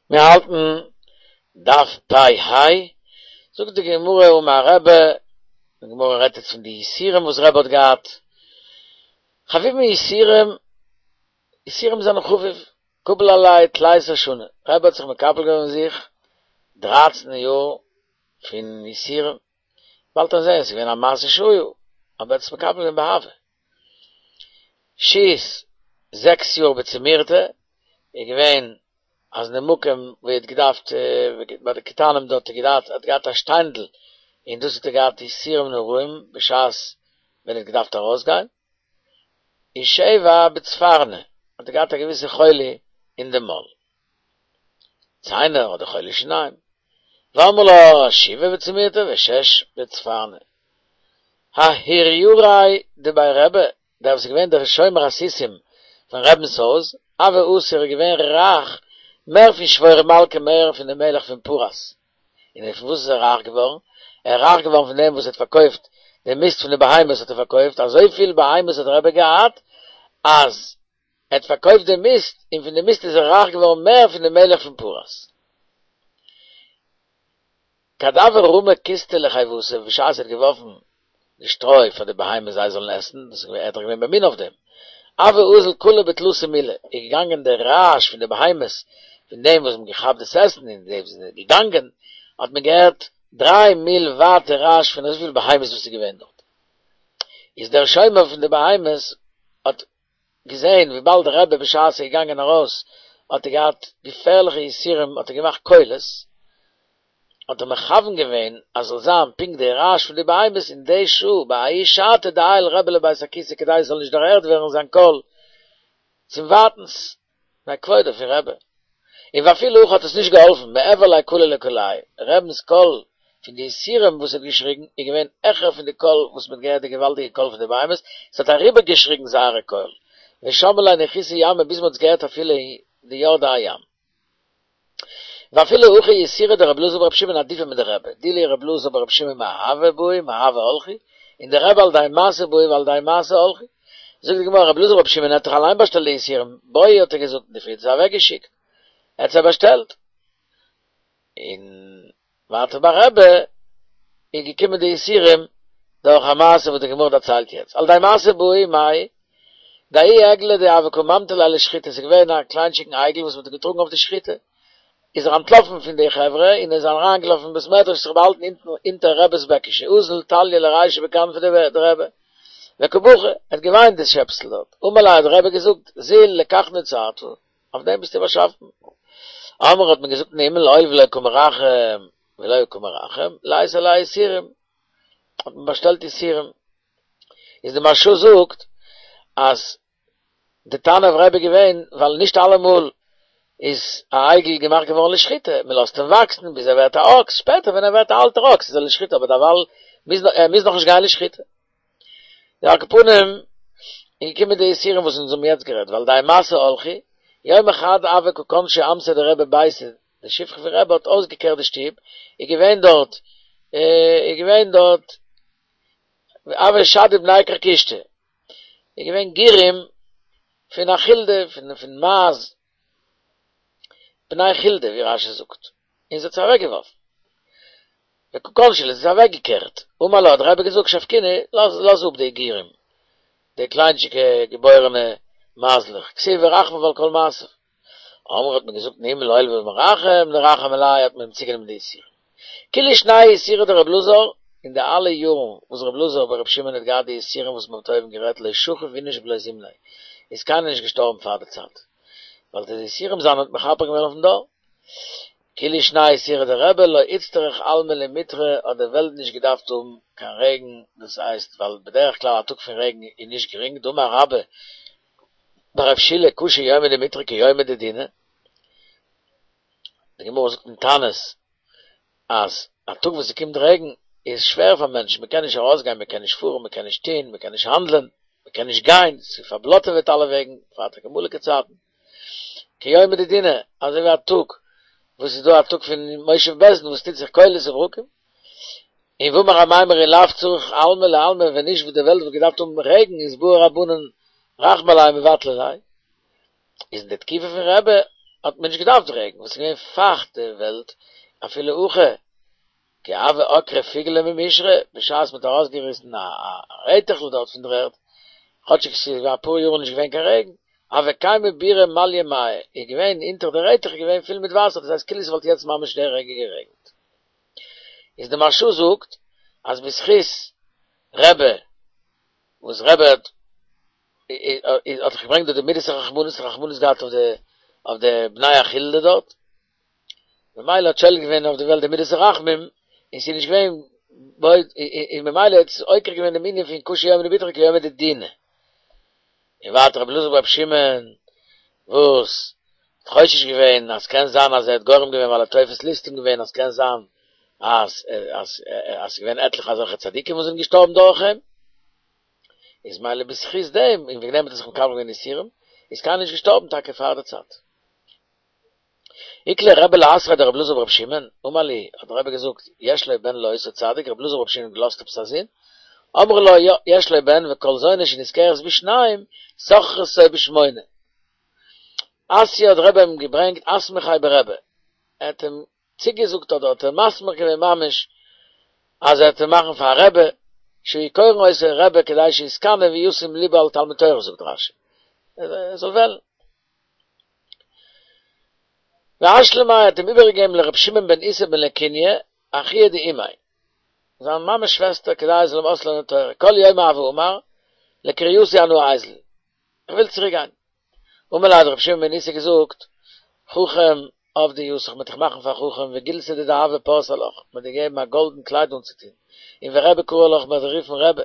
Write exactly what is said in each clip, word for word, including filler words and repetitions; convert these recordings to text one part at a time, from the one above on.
מיר האלטן דף פ ה, זאגט די גמרא אמר רבי, די גמרא רעדט יעצט פון די יסורים וואס רבי האט געהאט, חביבין יסורים, יסורים זענען חביב, קבל עליה תליסר שני, רבי האט זיך מקבל געווען אויף זיך דרייצן יאר פון יסורים, באלד וועט מען זען, ס'איז געווען א מעשה שהיה, אבער ער האט עס מקבל געווען באהבה. שית, זעקס יאר בצומירתא, איז געווען אז אין די מקום וואו ער האט געדארפט, ביי די קטנים דארט האט ער האט געהאט א שטיינדל, און דאס האט ער געהאט יסורים נוראים בשעת ווען ער האט געדארפט ארויסגיין. און שבע בצפרני, האט ער געהאט א געוויסע חולי אין די מויל. ציינער אדער חולי שיניים. ואמרי לה שבעה בצומירתא ושש בצפרני. ההורייריה דבי רבי, דער וואס איז געווען דער שומר הסוסים פון רבינ'ס הויז, הוה עתיר איז געווען רייך מער פון שבור מלכא מער פון דעם מלך פון פרס. און פון וואס איז ער רייך געווארן? ער איז רייך געווארן פון דעם וואס ער האט פארקויפט די מיסט פון די בהמות האט ער פארקויפט, אזויפיל בהמות האט דער רבי געהאט, אז ער האט פארקויפט די מיסט, און פון די מיסט איז ער רייך געווארן מער פון די מלך פון פרס. כד הוה רמי כיסתא לחיותא, בשעת ער האט געווארפן די שטרוי פאר די בהמות זיי זאלן עסן, דאס איז געווען, ער האט דאך געווען ממונה אויף דעם, הוה אזיל קלא בתלתא מילי, איז געגאנגען דער רעש פון די בהמות, פון דעם וואס מ'האט געכאפט דאס עסן און די וואס זענען געגאנגען, האט מען געהערט דריי מיל ווייט די רעש פון אזויפיל בהמות וואס איז געווען דארט. איז דער שומר פון די בהמות האט געזען וויבאלד דער רבי בשעת ער איז געגאנגען ארויס האט ער געהאט געפערליכע יסורים האט ער געמאכט קולות, האט ער מכוון געווען אז זאל זיין פונקט די רעש פון די בהמות אין די שעה בההיא שעתא דעייל רבי לבית הכסא כדי עס זאל נישט דערהערט ווערן זיין קול צום ווייטנס מפני כבודו פון רבי. און ואפילו הכי האט עס נישט געהאלפן, מעבר ליה קלא לקולייהו, רבינ'ס קול פון די יסורים וואס ער האט געשריגן איז געווען העכער פון די קול וואס מען האט געהערט די געוואלדיגע קול פון די בהמות, עס האט אריבער געשריגן זייערע קול, ושמעו ליה נחותי ימא ביז מען האט עס געהערט אפילו אין די יורדי הים. ואפילו הכי יסורי דרבי אלעזר ברבי שמעון עדיפי מדרבי, דאילו רבי אלעזר ברבי שמעון מאהבה בעו מאהבה הלכו, און דרבי על ידי משא בעו ועל ידי משא הלכו. זאגט די גמרא רבי אלעזר ברבי שמעון האט דאך אליין באשטעלט די יסורים, בעו האט ער געזאגט און די פריער האט זיי אוועק געשיקט, ער האט זיי באשטעלט. און ווייטער ביי רבי איז געקומען די יסורים דורך א מעשה וואס די גמרא דערציילט יעצט, על ידי משא בעו מאי דההוא עגלא דהוה קא ממטו ליה לשחיטה, ס'איז געווען א קליינטשיגן עגל וואס מ'האט געטראגן אויף די שחיטה, איז ער אנטלאפן פון די חברה און איז אריינגעלאפן אין בית מדרש זיך באהאלטן אונטן אונטער רבי'ס בעקישע, אזל תליא לרישיה בכנפי דרבי וקא בכי, ער האט געוויינט דאס שעפסל דארט, אמר ליה האט דער רבי געזאגט, זיל לכך נוצרת, אויף דעם ביסטו באשאפן. אמרי האט מען געזאגט אין הימל הואיל ולא קא מרחם ולא קא מרחם, לייתי עליה יסורים, האט מען באשטעלט יסורים. איז די מהרש"א זאגט אז די טענה אויף רבי איז געווען ווייל נישט אלעמאל איז א עגל געמאכט געווארן לשחיטה, מען לאזט אים וואקסן ביז ער ווערט א אקס, שפעטער ווען ער ווערט א אלטער אקס איז ער לשחיטה אבער דערווייל מוז ער מוז נאכנישט גיין לשחיטה. די על כל פנים איז געקומען די יסורים וואס אונז האבן יעצט גערעדט ועל ידי משא הלכו, יומא חד הוה קא כנשא אמתיה דרבי ביתא, די שפחה פון רבי האט אויסגעקערט די שטוב, איז געווען דארט איז געווען דארט הוו שדו בני כרכושתא, איז געווען גירים פון א חולדה פון פון מייז, בני חולדה ווי רש"י זאגט, און זי האט זיי אוועקגעווארפן. וקא כנשא להו, זי האט אוועקגעקערט, אמר לה האט דער רבי געזאגט שבקינהו, לאז לאז אפ די גירים, די קליינטשיקע געבוירענע מייזלעך, כתיב ורחמיו על כל מעשיו. אמרי האט מען געזאגט אין הימל הואיל ומרחם נרחם עליה האט מען אים צוגענומען די יסורים. כולהו שני יסורי דרבי אלעזר, אין די אלע יארן וואס רבי אלעזר ברבי שמעון האט געהאט די יסורים וואס מען האט אויבן גערעדט לא שכיב איניש בלא זימניה, איז קיינער נישט געשטארבן פאר די צייט, ווייל די יסורים זיינע האט מכפר געווען אויפן דור. כולהו שני יסורי דרבי לא איצטריך עלמא למיטרא האט די וועלט נישט געדארפט האבן קיין רעגן, דאס הייסט ווייל בדרך כלל א טאג פון רעגן איז נישט גרינג, דאמר רבה בר רב שילא קשה יומא דמיטרא כיומא דדינא, די גמרא זאגט אין תענית אז א טאג וואס ס'קומט רעגן איז שווער פאר מענטשן, מ'קען נישט ארויסגיין, מ'קען נישט פארן, מ'קען נישט טון, מ'קען נישט האנדלען, מ'קען נישט גיין, ס'איז פארבלאטעוועט אלע וועגן, בפרט אין אמאליגע צייטן. כיומא דדינא, אזוי ווי א טאג וואס איז דא א טאג פון מושב בית דין וואס טוט זיך קולות וברקים, און ואמר אמימר אי לאו צורך עלמא לעלמא ווען נישט וואס די וועלט וואלט געדארפט האבן רעגן איז בעו רבנן רחמי עליה מבטלי ליה, איז אין די תקופה פון רבי האט מען נישט געדארפט רעגן, וואס איז געווען פייכט די וועלט, אפילו הכי, כי הוה עקרי פיגלא ממישרא, בשעת מען האט ארויסגעריסן א רעטעכל דארט פון דער ערד, כאטשיג עס איז אפאר יאר נישט געווען קיין רעגן, הוה קיימא בירא מליא מיא, איז געווען אונטער די רעטעך איז געווען פול מיט וואסער, דאס הייסט כאילו ס'וואלט יעצט ממש די רגע גערעגנט. איז די מהרשא זאגט אז בזכות רבי וואס רבי האט האט דאך געברענגט דא די מידת הרחמנות, רחמנות געהאט אויף די אויף די בני החולדה דארט, ממילא האט שולט געווען אויף די וועלט די מידת הרחמים, און ס'איז נישט געווען און ממילא האט עס עוקר געווען דעם ענין פון קשה יומא דבטחו כיומא דדינא. און ווייטער רבי אלעזר ברבי שמעון וואס האט חושש געווען אז קען זיין אז ער האט גורם געווען ווייל ער האט תופס ליסטים געווען אז קען זיין אז אז אז ס'איז געווען עטליכע אזעלכע צדיקים וואס זענען געשטארבן דורך אים, איז מילא בזכות דעם און וועגן דעם האט ער זיך מקבל געווען יסורים, איז קיינער נישט געשטארבן טאקע פאר די צייט. איקלע רבי לאתריה דרבי אלעזר ברבי שמעון, אמר להו, האט דער רבי געזאגט, יש לו בן לאותו צדיק, רבי אלעזר ברבי שמעון האט געלאזט עפעס א זון, אמרו לו, יא, יש לו בן וכל זונה שנשכרת בשניים, שוכרתו בשמונה. אתייה האט דער רבי אים געברענגט אסמכיה ברבי, ער האט אים צוגעזאגט אדער האט ער מסמיך געווען ממש אז ער וועט אים מאכן פאר א רבי, שהיו קורין אותו רבי כדי שיתקנא וישים ליבו על תלמוד תורה זאגט רשי, ער זאל וועלן. ואשלמיה האט אים איבערגעגעבן לר' שמעון בן איסי בן לקוניא, אחוה דאמיה, זיין מאמע'ס שוועסטער כדי ער זאל אים אויסלערנען תורה, כל יומא הוה אמר, לקרייתי אנא איזיל, איך וויל צוריק גיין. אמר ליה האט ר' שמעון בן איסי געזאגט, חכם עבדי יתיך, מ'וועט דיך מאכן פאר חכם, וגילתא דדהבא פרסי לך, מ'וועט דיר געבן א גאלדן קלייד אנצוטון, און ורבי קרי לך, מ'וועט דיר רופן רבי,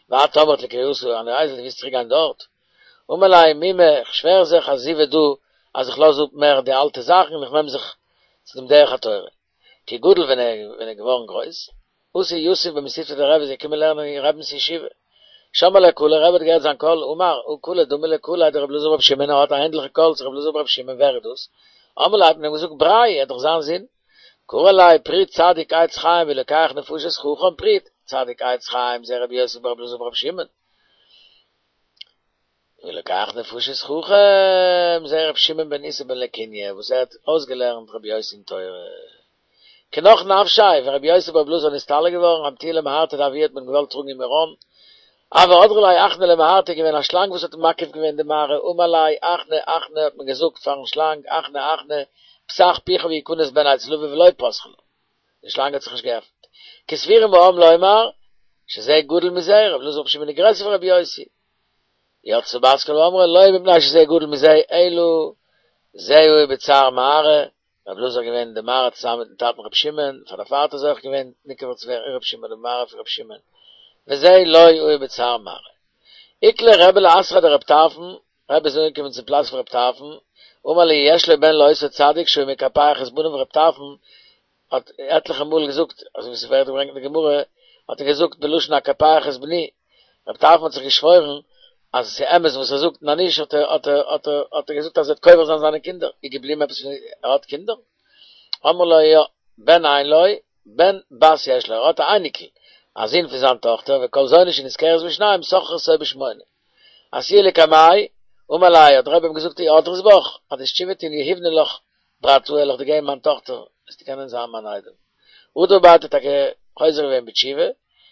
ואת אמרת לקרייתי אנא איזיל, דו ווילסט צוריק גיין דארט? אמר ליה מומי, איך שווער זיך עזיבה דא אז איך לאז אפ מער די אלטע זאכן און איך נעם זיך צו דעם דרך התורה. כי גדיל ווען ער איז געווארן גרויס, אתא יתיב במתיבתא דרבי איז ער געקומען לערנען אין רבינ'ס ישיבה. שמע ליה קלא, רבי האט געהערט זיין קול, אמר, הא קלא דמי לקליה דרבי אלעזר ברבי שמעון, ער האט א ענדליכע קול צו רבי אלעזר ברבי שמעון, ווער איז דאס? אמרו ליה האט מען אים געזאגט בריה, ער איז דאך זיין זון. קרי עליה פריץ צדיק עץ חיים ולוקח נפשות חכם פריץ צדיק עץ חיים זה רבי יוסי ברבי אלעזר ברבי שמעון. ולוקח נפשות חכם, זה ר' שמעון בן איסי בן לקוניא וואס ער האט אויסגעלערנט רבי יוסי'ן תורה. כי נח נפשיה, ווען רבי יוסי ברבי אלעזר איז נסתלק געווארן, אמטוה למערתא דאבוה האט מען געוואלט טראגן אין מירון, הוה הדרה ליה עכנא למערתא איז געווען א שלאנג וואס האט מקיף געווען די מערה, אמר ליה עכנא עכנא האט מען געזאגט פארן שלאנג עכנא עכנא פתח פיך ויכנס בן אצל אביו ולא פתחה לה. די שלאנג האט זיך נישט געעפנט. כי סבורים העם לומר, שזה גדול מזה, רבי אלעזר ברבי שמעון איז גרעסער פון רבי יוסי. יצתה בת קול ואמרה, לא מפני שזה גדול מזה, אלא זה הוא בצער מערה, רבי אלעזר איז געווען אין די מערה צוזאמען מיטן טאטן רבי שמעון, פאר דערפאר האט ער זוכה געווען נקבר צו ווערן אין רבי שמעון, די מערה פון רבי שמעון, וזה לא הוא בצער מערה. איקלע רבי לאתריה דרב טרפון, רבי איז אנגעקומען צום פלאץ פון רב טרפון, אמר להו יש לו בן לאותו צדיק שהיה מקפח את בניו רב טרפון האט עטליכע מאל געזאגט, אזוי ווי ס'ווערט געברענגט אין די גמרא, האט ער געזאגט בלשון אקפח את בני, רב טרפון האט זיך געשוואוירן אז עס איז אמת וואס ער זאגט, און אז נישט האט ער האט ער האט ער האט ער געזאגט אז ער וועט קובר זיין זיינע קינדער, איז געבליבן עפעס פון ער האט קינדער? אמרו לו יא, בן אין לו, בן בת יש לו, ער האט א אייניקל, א זון פון זיין טאכטער, וכל זונה שנשכרת בשניים שוכרתו בשמונה. אתיוה לקמיה, אמר ליה, האט דער רבי אים געזאגט אי אדרת בך, אז דו וועסט תשובה טון יהיבנא לך ברתאי וועל איך דיר געבן מיין טאכטער, וועסטו קענען זיין מיין איידעם. הדר ביה האט ער טאקע חוזר געווען בתשובה,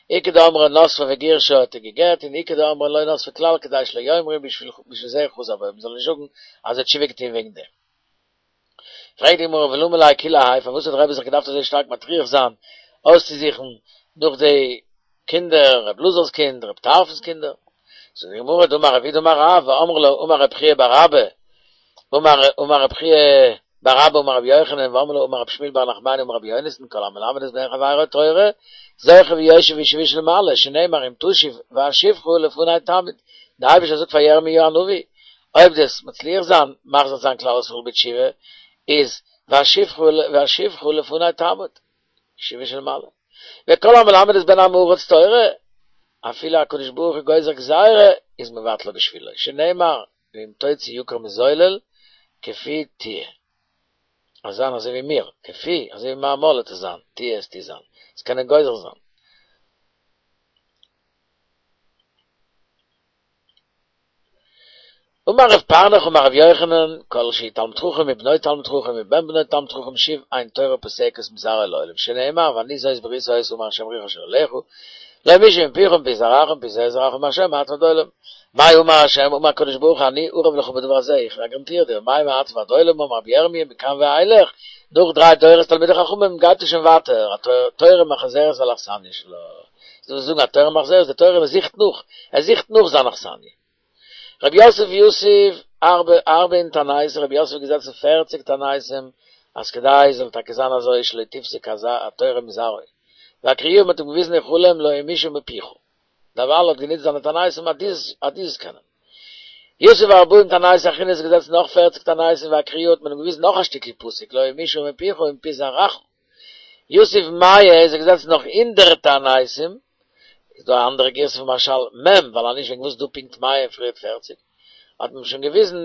איכא דאמרי נסבה וגירשה האט ער גע'גט, און איכא דאמרי לא נסבה כלל כדי שלא יאמרו בשביל זה חזר בו, מ'זאל נישט זאגן אז ער האט תשובה געטון וועגן דעם. פרעגט די גמרא ולמה ליה כולי האי, פארוואס האט דער רבי זיך געדארפט אזוי שטארק מטריח זיין אויסצוזוכן נאך די קינדער, רב אלעזר'ס קינד, רב טרפון'ס קינדער? זאגט די גמרא דאמר רב יהודה אמר רב, ואמרי לה אמר רב חייא בר אבא, אמר אמר רב חייא בר אבא אמר רבי יוחנן, ואמרי לה אמר רב שמואל בר נחמני אמר רבי יונתן, כל המלמד את בן חברו תורה, זוכה ויושב בישיבה של מעלה, שנאמר אם תשוב ואשיבך לפני תעמוד, דער אייבערשטער זאגט פאר ירמיהו הנביא, אויב דו וועסט מצליח זיין מחזיר זיין כלל ישראל בתשובה, איז ואשיבך ואשיבך לפני תעמוד, ישיבה של מעלה. וכל המלמד את בן עם הארץ תורה, אפילו הקדוש ברוך הוא גוזר גזירה, איז מבטלה בשבילו, שנאמר, ואם תוציא יקר מזולל, כפי תהיה. אז זיין אזוי ווי מיר, כפי, אזוי ווי מיין מויל וועט עס זיין, תהיה וועסטו זיין, עס קענען גוזר זיין. אמר רב פרנך אמר רב יוחנן, כל שהוא תלמיד חכם ובנו תלמיד חכם ובן בנו תלמיד חכם שוב אין תורה פוסקת מזרעו לעולם שנאמר ואני זאת ברית היתה אמר השם בריך אשר אליך לא ימושו מפיך ומפי זרעך ומפי זרע זרעך אמר השם מעתה ועד עולם מאי אמר השם אמר הקדוש ברוך הוא אני ערב לך בדבר הזה איך גאראנטיר דיר מאי מעתה ועד עולם אמר רבי ירמיה מכאן ואילך נאך דריי דורות תלמידי חכמים גייט עס שוין ווייטער התורה מחזרת על אכסניא שלה זאל זאגן התורה מחזרת די תורה זוכט נאך ער זוכט נאך זיין אכסניא רב יוסף יתיב ארבע ארבעין תעניתא רב יוסף איז געזעצן פֿערציק תעניתים אז כדי זאל טאקע זיין אזוי שלא תפסק התורה מזרעו ואקריוהו מ'האט אים געוויזן אין חלום לא ימושו מפיך דערווייל האט גענוצט זיינע תעניתים אז דו אז דו זאלסט קענען יתיב ארבעין תעניתא אחרינא איז געזעצן נאך פֿערציק תעניתים ואקריוהו האט מען אים געוויזן נאך א שטיקל פסוק לא ימושו מפיך ומפי זרעך יתיב מאה איז ער געזעצן נאך הונדערט תעניתים איז דא א אנדערע גירסא פון מהרש"ל מ' ווייל אנישט וועגן וואס דא פונקט מאה און פריערט פֿערציק האט מען שוין געוויזן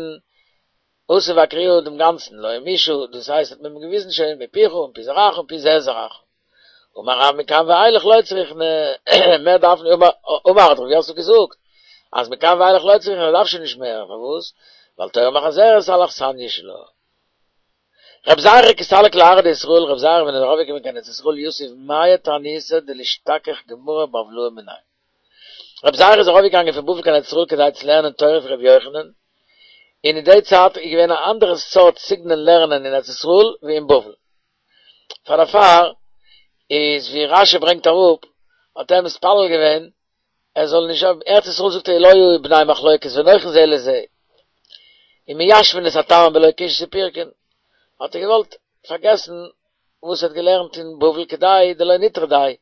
אתא ואקריוהו דעם גאנצן לא ימושו דאס הייסט האט מען אים געוויזן שוין מפיך ומפי זרעך ומפי זרע זרעך אמר רב מכאן ואילך לא צריכנא מער דארף נישט אמר האט רב יוסף געזאגט אז מכאן ואילך לא צריכנא דארף שוין נישט מער פארוואס ווייל תורה מחזרת על אכסניא שלה רב זירא כי סליק לארעא דישראל רב זירא ווען ער איז ארויפגעקומען קיין ארץ ישראל יתיב מאה תעניתא דלישתכח גמרא בבלאי מיניה רב זירא איז ארויפגעגאנגען פון בבל קיין ארץ ישראל כדי צו לערנען תורה פון רבי יוחנן און אין די צייט איז געווען א אנדערע סארט סגנון לערנען אין ארץ ישראל ווי אין בבל פאר דערפאר איז ווי רשי ברענגט אראפ האט ער מתפלל געווען ער זאל נישט האבן, ארץ ישראל זאגט ער לא היו בני מחלוקת ונוחין זה לזה, און מיישבין את הטעמים בלא קושיות ופירוקין, האט ער געוואלט פארגעסן וואס ער האט געלערנט אין בבל כדי דלא נטרדיה,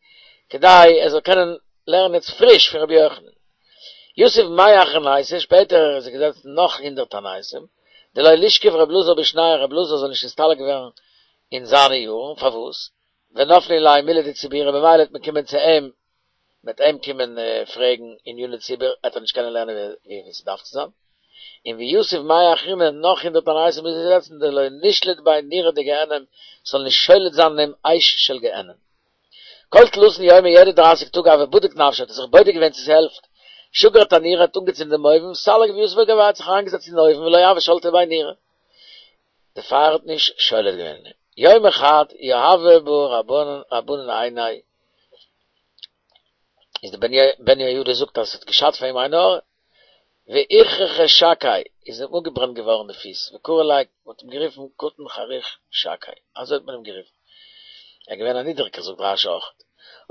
כדי ער זאל קענען לערנען יעצט פריש פון רבי יוחנן. יתיב מאה אחרנייתא, שפעטער איז ער געזעצן נאך הונדערט תעניתים, דלא לישכב רב אלעזר בשנייהו רב אלעזר זאל נישט נסתלק ווערן אין זיינע יארן, פארוואס? ונפלי ליה מילי דציבורא ממילא וועט מען קומען צו אים מ'וועט אים קומען פרעגן עניני ציבור, עט ער נישט קענען לערנען ווי ס'דארף צו זיין. און ויתיב מאה אחרינא נאך הונדערט תעניתים איז ער געזעצן דלא נשלוט ביה נורא דגיהנם, ס'זאל נישט שולט זיין אין אים אש של גיהנם. כל תלתין יומי יעדע דרייסיג טאג הוה בדיק נפשיה האט ער זיך בודק געווען צו ס'העלפט. שגר תנורא האט אנגעצינדן דעם אויוון, סליק ויתיב בגויה האט זיך אריינגעזעצט אין אויוון ולא הוה שלטא ביה נורא. די פייער האט נישט שולט געווען אין אים. יומא חד יהבו ביה רבנן עיניה איז די בן יהוידע זאגט אז עס האט געשאדט פאר אים עין הרע, ואיכרכי שקיה איז אים אפגעברענט געווארן די פיס, וקרו ליה מען האט אים גערופן קטן חריך שקי, אזוי האט מען אים גערופן, ער איז געווען א נידריגער זאגט רשי אויך.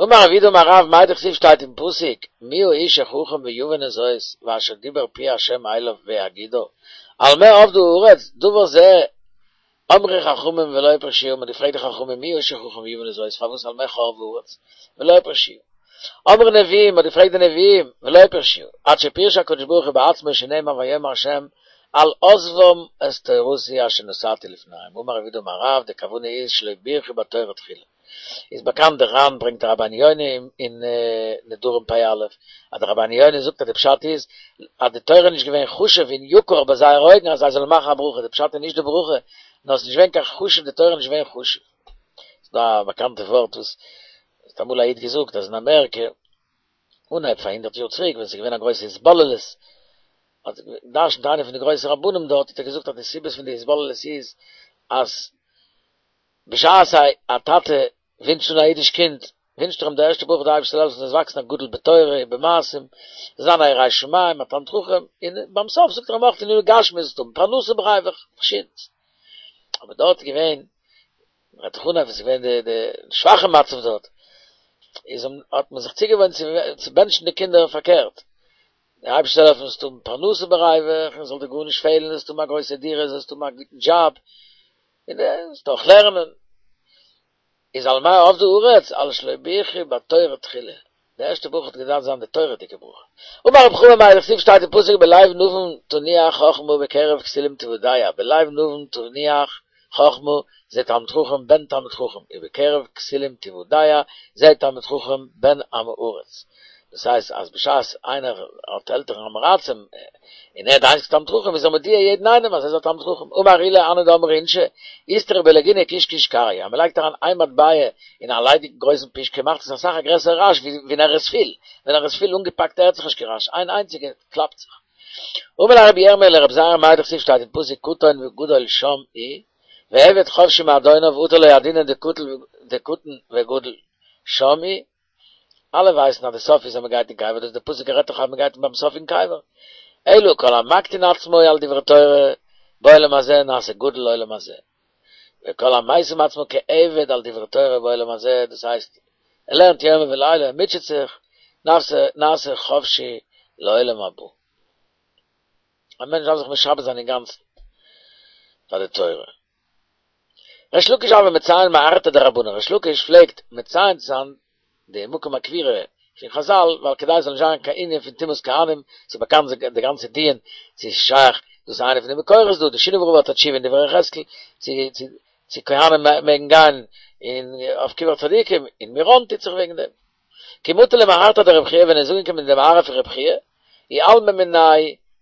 אמר רב יהודה אמר רב מאי דכתיב שטייט אין פסוק מי האיש החכם ויבין את זאת ואשר דיבר פי ה' אליו ויגידה על מה אבדה הארץ דבר זה אמרו חכמים ולא פירשוהו, מ'האט געפרעגט די חכמים מי האיש החכם ויבין את זאת, פארוואס על מה חרבה הארץ, ולא פירשוהו. אמרו נביאים, מ'האט געפרעגט די נביאים, ולא פירשוהו, עד שפירש הקדוש ברוך הוא בעצמו שנאמר ויאמר השם על עזבם את תורתי אשר נתתי לפניהם, אמר רב יהודה אמר רב, די כוונה איז שלא בירכו בתורה תחילה. איז באקאנט די ר"ן ברענגט די רבינו יונה אין נדרים פ"א, אז די רבינו יונה זאגט אז די פשט איז אז די תורה איז נישט געווען חשוב און יקר ביי זייערע אויגן אז זיי זאלן מאכן א ברכה, די פשט איז נישט די ברכה, נאר עס איז נישט געווען קיין חשוב, די תורה איז נישט געווען חשוב. ס'איז דא א באקאנטע ווארט וואס האט אמאל א איד געזאגט אז אין אמעריקע, אנהייב פאר הונדערט יאר צוריק ווען ס'איז געווען א גרויסע התבוללות, האט גע'דרש'נט איינער פון די גרויסע רבנים דארט האט ער געזאגט אז די סיבות פון די התבוללות איז אז בשעת א טאטע ווינטשט אן א אידיש קינד, ווינטשט ער אים די ערשטע ברכה די אייבערשטער זאל העלפן זאלסט וואקסן א גדול בתורה ובמעשים, זאל זיין א ירא שמים, א תלמיד חכם, און ביים סוף זאגט ער אים אויך עניני גשמיות זאלסט האבן פרנסה בריווח, פארשידנס. אבער דארט איז געווען, רעדט זיך אנהייב ווען ס'איז געווען די די שוואכע מצב דארט, איז האט מען זיך צוגעוואוינט צו בענטשן די קינדער פארקערט, די אייבערשטער זאל העלפן זאלסט האבן פרנסה בריווח, און זאל דיר גארנישט פעלן, זאלסט האבן א גרויסע דירה, זאלסט האבן א גוטן דזשאב, און זאלסט אויך לערנען. איז על מה אבדה הארץ, על שלא בירכו בתורה תחילה. די ערשטע ברכה האט געדארפט זיין די תורה'דיגע ברכה. אמר רב חמא מאי דכתיב שטייט אין פסוק בלב נבון תנוח חכמה בקרב כסילים תוודע, בלב נבון תנוח חכמה זה תלמיד חכם בן תלמיד חכם, ובקרב כסילים תוודע זה תלמיד חכם בן עם הארץ. דאס הייסט אז בשעת איינער האט עלטערן עם הארצים און ער איז די איינציגסטע תלמיד חכם איז ער מודיע יעדן איינעם אז ער איז א תלמיד חכם, אמר עולא הני דאמרי אינשי, איסתרא בלגינא קיש קיש קריא, אז מען לייגט אריין איין מטבע אין א ליידיגן גרויסן פישקע מאכט עס אסאך א גרעסערע רעש ווי ווען ער איז פיל, ווען ער איז פיל אנגעפאקט הערט זיך נישט קיין רעש, איין איינציגע קלאפט זיך. אמר ליה רבי ירמיה לרבי זירא מאי דכתיב שטייט אין פסוק קטן וגדול שם איהו ועבד חפשי מאדוניו אטו לא ידעינן דקטן וגדול שם איהו אלע ווייסן אז די סוף איז אז מ'גייט אין קבר דאס די פסוק רעדט דאך אז מ'גייט ביים סוף אין קבר אלא כל המקטין עצמו על דברי תורה בעולם הזה נעשה גדול לעולם הזה וכל המשים עצמו כעבד על דברי תורה בעולם הזה דאס הייסט ער לערנט יומם ולילה ער מוטשעט זיך נעשה חפשי לעולם הבא. א מענטש דארף זיך משעבד זיין אינגאנצן פאר די תורה. ריש לקיש הוה מציין מערתא דרבנן, ריש לקיש פלעגט מציין זיין די מקום הקבורה פון חזל, ווייל כדי עס זאל נישט זיין קיין ענין פון טומאת כהנים, ס'איז באקאנט די גאנצע דיון צו ס'איז שייך, דאס איז איינע פון די מקורות דא, די שינאווער רב האט א תשובה אין דברי יחזקאל, צו צו צו כהנים מעגן גיין אין אויף קבר צדיקים, אין מירון טוט זיך וועגן דעם. כי מטא למערתא דרב חייא ווען ער איז אנגעקומען אין די מערה פון רב חייא, איעלמא מיניה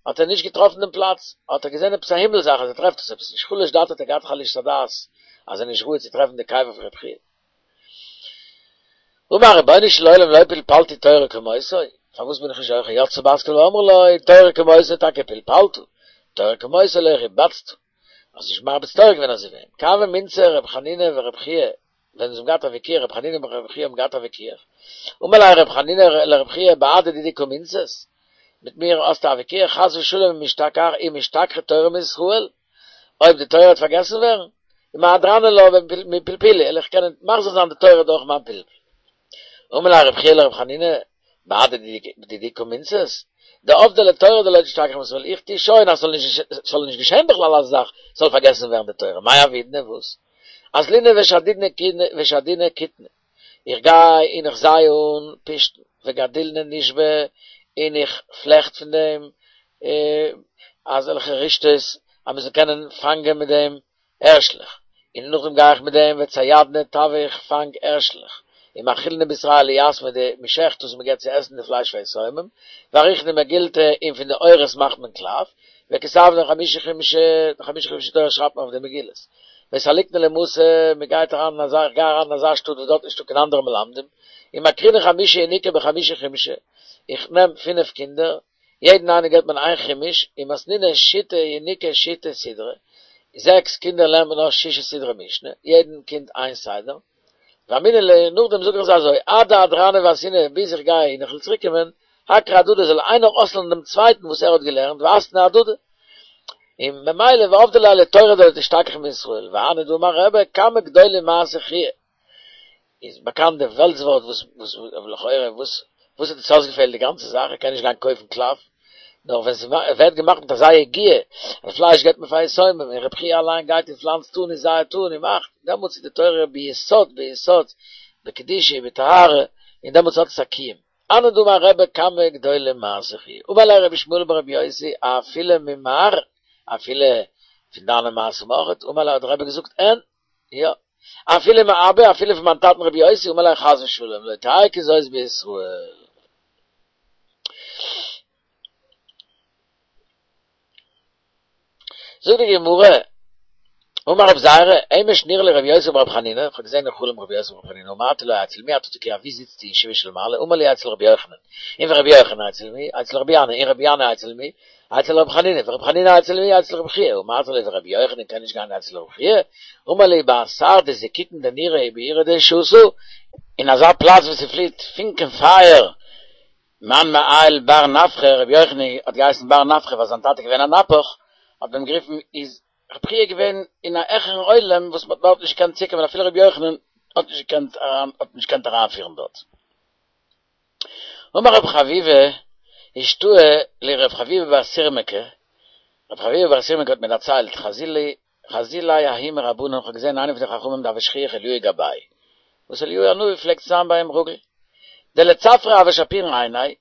האט ער נישט געטראפן דעם פלאץ, האט ער געזען עפעס א הימל זאך אז ער טרעפט עס עפעס נישט, חלש דעתיה האט ער געהאט חלישות הדעת אז ער איז נישט ראוי צו טרעפן די קבר פון רב חייא. אמר רבונו של עולם לא פלפלתי תורה כמותו, פארוואס בין איך נישט זוכה, יצתה בת קול ואמרה לו, תורה כמותו טאקע פלפלת, תורה כמותו לא הרבצת, האסט נישט מרביץ תורה געווען אזוי ווי אים, כי הוה מינצי ר' חנינא ור' חייא, ווען זיי האבן געהאט א וויכוח, ר' חנינא און ר' חייא האבן געהאט א וויכוח, אמר ליה ר' חנינא לר' חייא בהדי דידי קא מינצת, מיט מיר האסטו א וויכוח, חס ושלום אם משתכח אם משתכחא תורה מישראל, אויב די תורה וועט פארגעסן ווערן, ומהדרנא לה מפלפולי, וועל איך קענען מחזיר זיין די תורה דורך מיין פלפול. אמר ליה רבי חייא לרבי חנינא, בהדי דידי קא מינצת, דעבדי לתורה דלא תשתכח מישראל, איך טו שוין אז ס'זאל נישט געשען בכלל אזא זאך, ס'זאל פארגעסן ווערן די תורה, מאי עבידנא וואס? אזלינא ושדינא כיתנא, איך גיי און איך זיי אן פשתן, וגדילנא נשבא, און איך פלעכט פון דעם אזעלכע רשתות אז מען זאל קענען פאנגען מיט דעם הערשלעך, און נאכדעם גיי איך מיט דעם וציידנא טבא איך פאנג הערשלעך, ומאכילנא בשרייהו ליתמי די מ'שעכט דאס און מ'געבט צו עסן די פלייש פאר יתומים, ועריכנא מגילתא און פון די עורות מאכט מען קלף, וכתבנא חמשה חומשי חמשה חומשי תורה שרייבט מען אויף די מגילות. וסליקנא למתא, מען גייט אריין אין אזא, איך גיי אריין אין אזא שטאט וואס דארט איז נישטא קיין אנדערע מלמדים, ומקרינא חמשה ינוקי בחמשה חומשי, איך נעם פינף קינדער, יעדן איינער געבט מען איין חומש, ומתנינן שיתא ינוקי שיתא סדרי, זעקס קינדער לערנט מען אויס שישה סדרי משנה, יעדן קינד איין סדר, ואמרינן להו, נאכדעם זאג איך זיי אזוי, עד דאהדרנא ואתינא, ביז איך גיי און איך וועל צוריק קומען, אקרי הדדי זאל איינער אויסלערנען דעם צווייטן וואס ער האט געלערנט, ואתנו אהדדי. און ממילא ועבדי ליה לתורה דלא תשתכח מישראל, והני דאמר רבי, כמה גדולים מעשי חייא. איז באקאנט די וועלטס ווארט וואס וואס לכאורה וואס וואס האט עס אויסגעפעלט די גאנצע זאך ער קען נישט גיין קויפן קלף נאר ווען ס'ווערט געמאכט מיט אזא יגיעה אז פלייש געבט מען פאר יתומים און רבי חייא אליין גייט און פלאנצט אן און זייעט אן און מאכט דעמאלטס איז די תורה ביסוד ביסוד בקדושה ובטהרה און דעמאלטס האט עס א קיום. הני דאמר רבי כמה גדולים מעשי חייא אמר ליה רבי ישמעאל ברבי יוסי אפילו ממר אפילו פון דיינע מעשים אויכעט אמר ליה האט דער רבי געזאגט אין יא, אפילו מאבא, אפילו פון מיין טאטן רבי יוסי, אמר ליה חס ושלום, לא תהא כזאת בישראל. זאגט די גמרא, אמר רב זירא, אמש נראה לי רבי יוסי ברבי חנינא, איך האב געזען אין חלום רבי יוסי ברבי חנינא, אמרתי לו אצל מי אתה תקוע, וואו זיצטו אין ישיבה של מעלה, אמר לי אצל רבי יוחנן, און ורבי יוחנן אצל מי, אצל רבי ינאי, און רבי ינאי אצל מי, אצל רבי חנינא, ורבי חנינא אצל מי? אצל רבי חייא, אמרתי לו ורבי יוחנן קען נישט גיין אצל רבי חייא? אמר לי באתר דזיקוקין דנורא ובעירא דשותא, אין אזא פלאץ וואו ס'פליט פונקען פייער, מאן מעייל בר נפחא, רבי יוחנן האט געהייסן בר נפחא ווייל זיין טאטע איז געווען א נפח, האט מען אים גערופן, איז רבי חייא געווען אין א העכערן עולם וואס מ'האט דארט נישט געקענט צוקומען אפילו רבי יוחנן האט נישט געקענט האט נישט געקענט אריינפירן דארט. אמר רב חביבא אשתעי לי רב חביבא בר סירמקא, רב חביבא בר סירמקא האט מיר דערציילט, חזי ליה ההוא מרבנן, כ'האב געזען איינער פון די חכמים דהוה שכיח אליהו גביה, וואס אליהו הנביא פלעגט זיין ביי אים רגיל, דלצפרא הוה שפירן עיניה,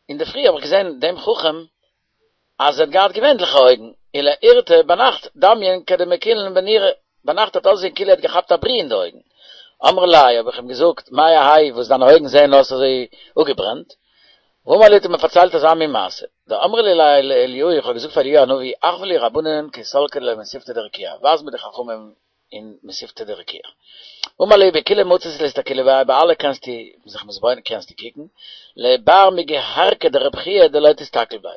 אינדערפרי האב איך געזען דעם חכם אז ער האט געהאט געווענליכע אויגן, ולאורתא ביינאכט דמיין כדמקילין בנורא, ביינאכט האט אויסגעזען כאילו ער האט געכאפט א ברי אין די אויגן. אמרי ליה האב איך אים געזאגט, מאי האי וואס דיינע אויגן זעען אויס אזוי אפגעברענט? ואמר לי האט ער מיר פארציילט אזא מין מעשה, דאמרי ליה לאליהו, איך האב געזאגט פאר אליהו הנביא, אחוי לי רבנן כי סלקי למתיבתא דרקיעא, ווייז מיר די חכמים אין מתיבתא דרקיעא. אמר לי בכולהו מצית לאסתכולי בהו, ביי אלע קענסטו זיך מתבונן קענסטו קוקן, לבר מגהרקא דרב חייא דלא תסתכל בהו.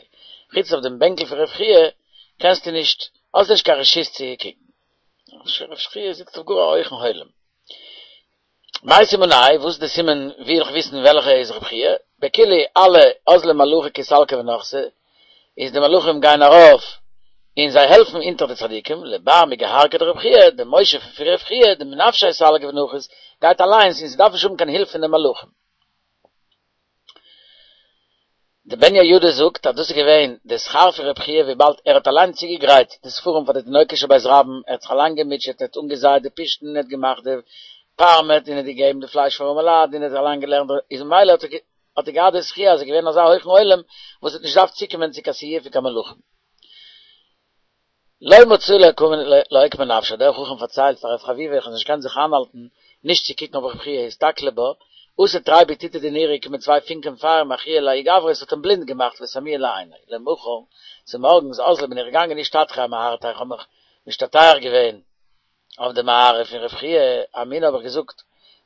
חוץ אויף דעם בענקל פון רב חייא קענסטו נישט, האסט נישט קיין רשות צו קוקן. רב חייא זיצט אויף גאר א הויכן עולם. מאי סימניה, וואס איז די סימן ווי וועל איך וויסן וועלכע איז רב חייא? בכולהו אלע אזלי מלאכי כי סלקי ונחתי, איז די מלאכים גייען ארויף און זיי העלפן אונטער די צדיקים, לבר מגהרכא דרב חייא, די מושב פון רב חייא, דמנפשיה סליק ונחית, גייט אליינס און ס'דארף נישט האבן קיין הילף פון די מלאכים. די בן יהוידע זאגט אז דאס איז געווען די שכר פון רב חייא וויבאלד ער האט אליין צוגעגרייט די ספרים פאר די תינוקות של בית רבן, ער האט זיך אליין געמוטשעט, ער האט אנגעזייט די פשתן, ער האט געמאכט די פארמעט און ער האט געגעבן די פלייש פאר ארעמעלייט און ער האט אליין געלערנט, איז ממילא האט ער געהאט די זכי' אז ער איז געווען אזא הויכן עולם וואס האט נישט געדארפט צוקומען צו קיין סיוע פון קיין מלאכים. לא מצאי לאוקמא נפשא, דער חכם פארציילט פאר רב חביבא איך האב נישט געקענט זיך איינהאלטן נישט צו קוקן אויף רב חייא אסתכלא בה, אתו תרי ביטוטי דנורא קומען צוויי פונקען פייער מחייא לההוא גברא עס האט אים בלינד געמאכט וסמוה לעיניה, למחר צומארגנס אזלי בין איך געגאנגען אשתטחא אמערתיה איך האב מיך משתטח געווען אויף די מערה פון רב חייא, אמינא האב איך געזאגט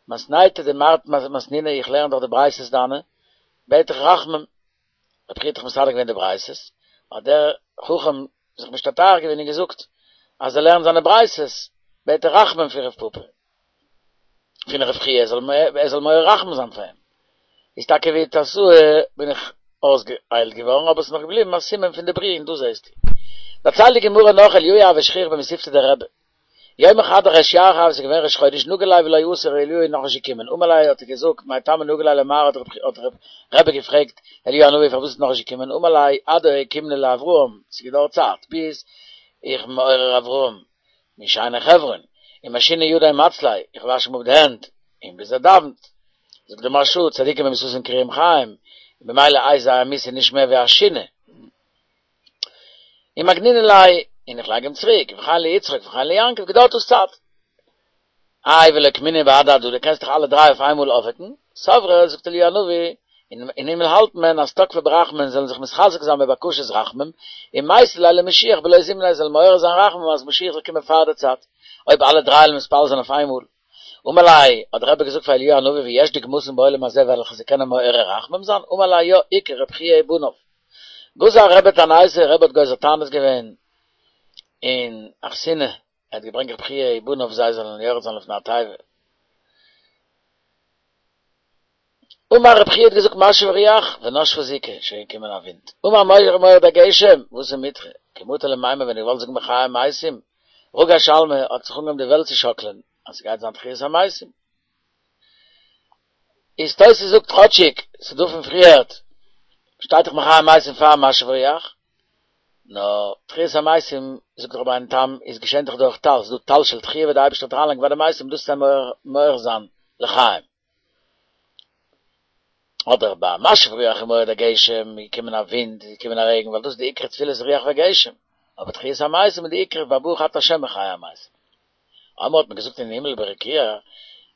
מתניתא דמרת מתנינא איך לערן דאך די ברייתות דיינע בעט איך רחמים רב חייא האט דאך מסדר געווען די ברייתות, האט דער חכם זיך משתטח געווען און געזאגט אז ער לערנט זיינע ברייתות, בעט ער רחמים פון רב פפא, פון רב חייא, ער זאל מעורר רחמים זיין פאר אים. איז טאקע ואיתסאי בין איך אויסגעהיילט געווארן, אבער עס איז נאך געבליבן א סימן פון די ברי און דא זעסטו. דערציילט די גמרא נאך אליהו הוה שכיח במתיבתא דרבי. יומא חד דריש ירחא הוה, ס'איז געווען ראש חודש נגה ליה ולא אתא אליהו איז נאכנישט געקומען אמר ליה האט ער געזאגט מאי טעמא נגה ליה למר האט האט רבי געפרעגט אליהו הנביא פארוואס איז נאכנישט געקומען אמר ליה עד דאוקימנא לאברהם ס'געדויערט צייט ביז איך בין מעורר אברהם משינה חברון ומשינא ידי מצליה איך וואש אים אפ די הענט און ביז ער דאווענט זאגט די מהרש"א צדיקים במיתתן קרויים חיים במילא איז זייער מיתה נישט מער ווי א שינה. ומגנינא ליה, און איך לייג אים צוריק, וכן ליצחק וכן ליעקב, געדויערט דאס צייט. איי ולוקמינהו בהדי הדדי, קענסט דאך אלע דריי אויף איינמאל אויפוועקן, סברי, זאגט אליהו הנביא, אין הימל האלט מען אז תקפי ברחמים זאלן זיך מתחזק זיין בבקשת רחמים, ומייתי ליה למשיח בלא זמניה זאלן מעורר זיין רחמים אז משיח זאל קומען פאר די צייט, אויב אלע דריי וועלן מתפלל זיין אויף איינמאל. אמר ליה, האט דער רבי געזאגט פאר אליהו הנביא ויש דוגמתן בעולם הזה וועלכע זיי קענען מעורר רחמים זיין, אמר ליה יא, איכא רב חייא ובניו. גזר רבי תעניתא, רבי האט גוזר תענית געווען אין אכסניא, ער האט געברענגט רב חייא ובניו זיי זאלן יורד זיין לפני התיבה. אמר רב חייא האט געזאגט משיב הרוח ונשבה זיקא, שוין געקומען א ווינט. אמר מורד הגשם, ואתא מיטרא, כי מטי למימר ווען איך וואלט זאגן מחיה המתים, רגש עלמא האט זיך אנגעהויבן די וועלט צו שאקלען, אז ס'גייט זיין תחיית המתים. איז תוס' זאגט כאטשיג ס'דא פון פריערט שטייט דאך מחיה המתים פאר משיב הרוח, נאר תחיית המתים זאגט רבינו תם איז געשען דאך דורך טל, ס'דא טל של תחייה וואס די אייבערשטער האט אריינלייגן ביי די מתים דאס צו מעורר זיין לחיים. אדער ביי משיב רוח ומוריד הגשם איז געקומען א ווינט איז געקומען א רעגן ווייל דאס איז די עיקר תפילת רוח וגשם, אבער תחיית המתים איז די עיקר ביי ברוך אתה ה' מחיה המתים. אמרו האט מען געזאגט אין הימל ברקיע,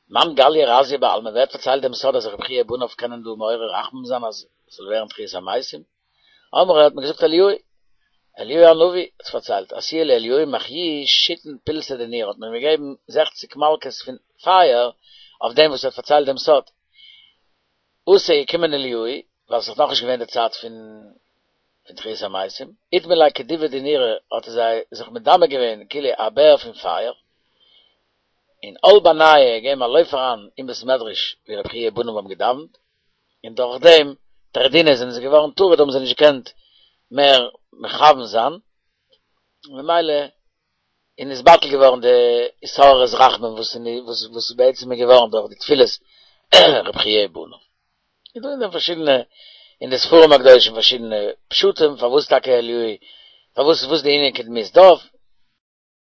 מאן גליא רזיא בעלמא, ווער האט פארציילט דעם סוד אז רבי חייא ובניו קענען דא מעורר רחמים זיין אז עס זאל ווערן תחיית המתים? אמרו האט מען געזאגט אליהו, אליהו הנביא האט עס פארציילט, אתיוהו לאליהו מחיוהו שיתין פולסי דנורא האט מען אים געגעבן זעכציק מלקות פון פייער אויף דעם וואס ער האט פארציילט דעם סוד. אתא איז געקומען אליהו, ווייל ס'איז נאכנישט געווען די צייט פון פון תחיית המתים, אדמי ליה כדובא דנורא האט ער זיי זיך מדמה געווען כאילו א בער פון פייער, און על בינייהו געגעבן א לויף אריין אין בית מדרש ווי רבי חייא ובניו האבן געדאווענט, און דורך דעם טרדינהו זענען זיי געווארן טרוד האבן זיי נישט געקענט מער מכוון זיין, ממילא און איז בטל געווארן די התעוררות רחמים וואס וואס איז בעצם איז געווארן דורך די תפילות רבי חייא ובניו. איז דא אין דעם פארשידענע אין די ספרים הקדושים פארשידענע פשטים פארוואס טאקע אליהו פארוואס וואס די ענין כדמות דוב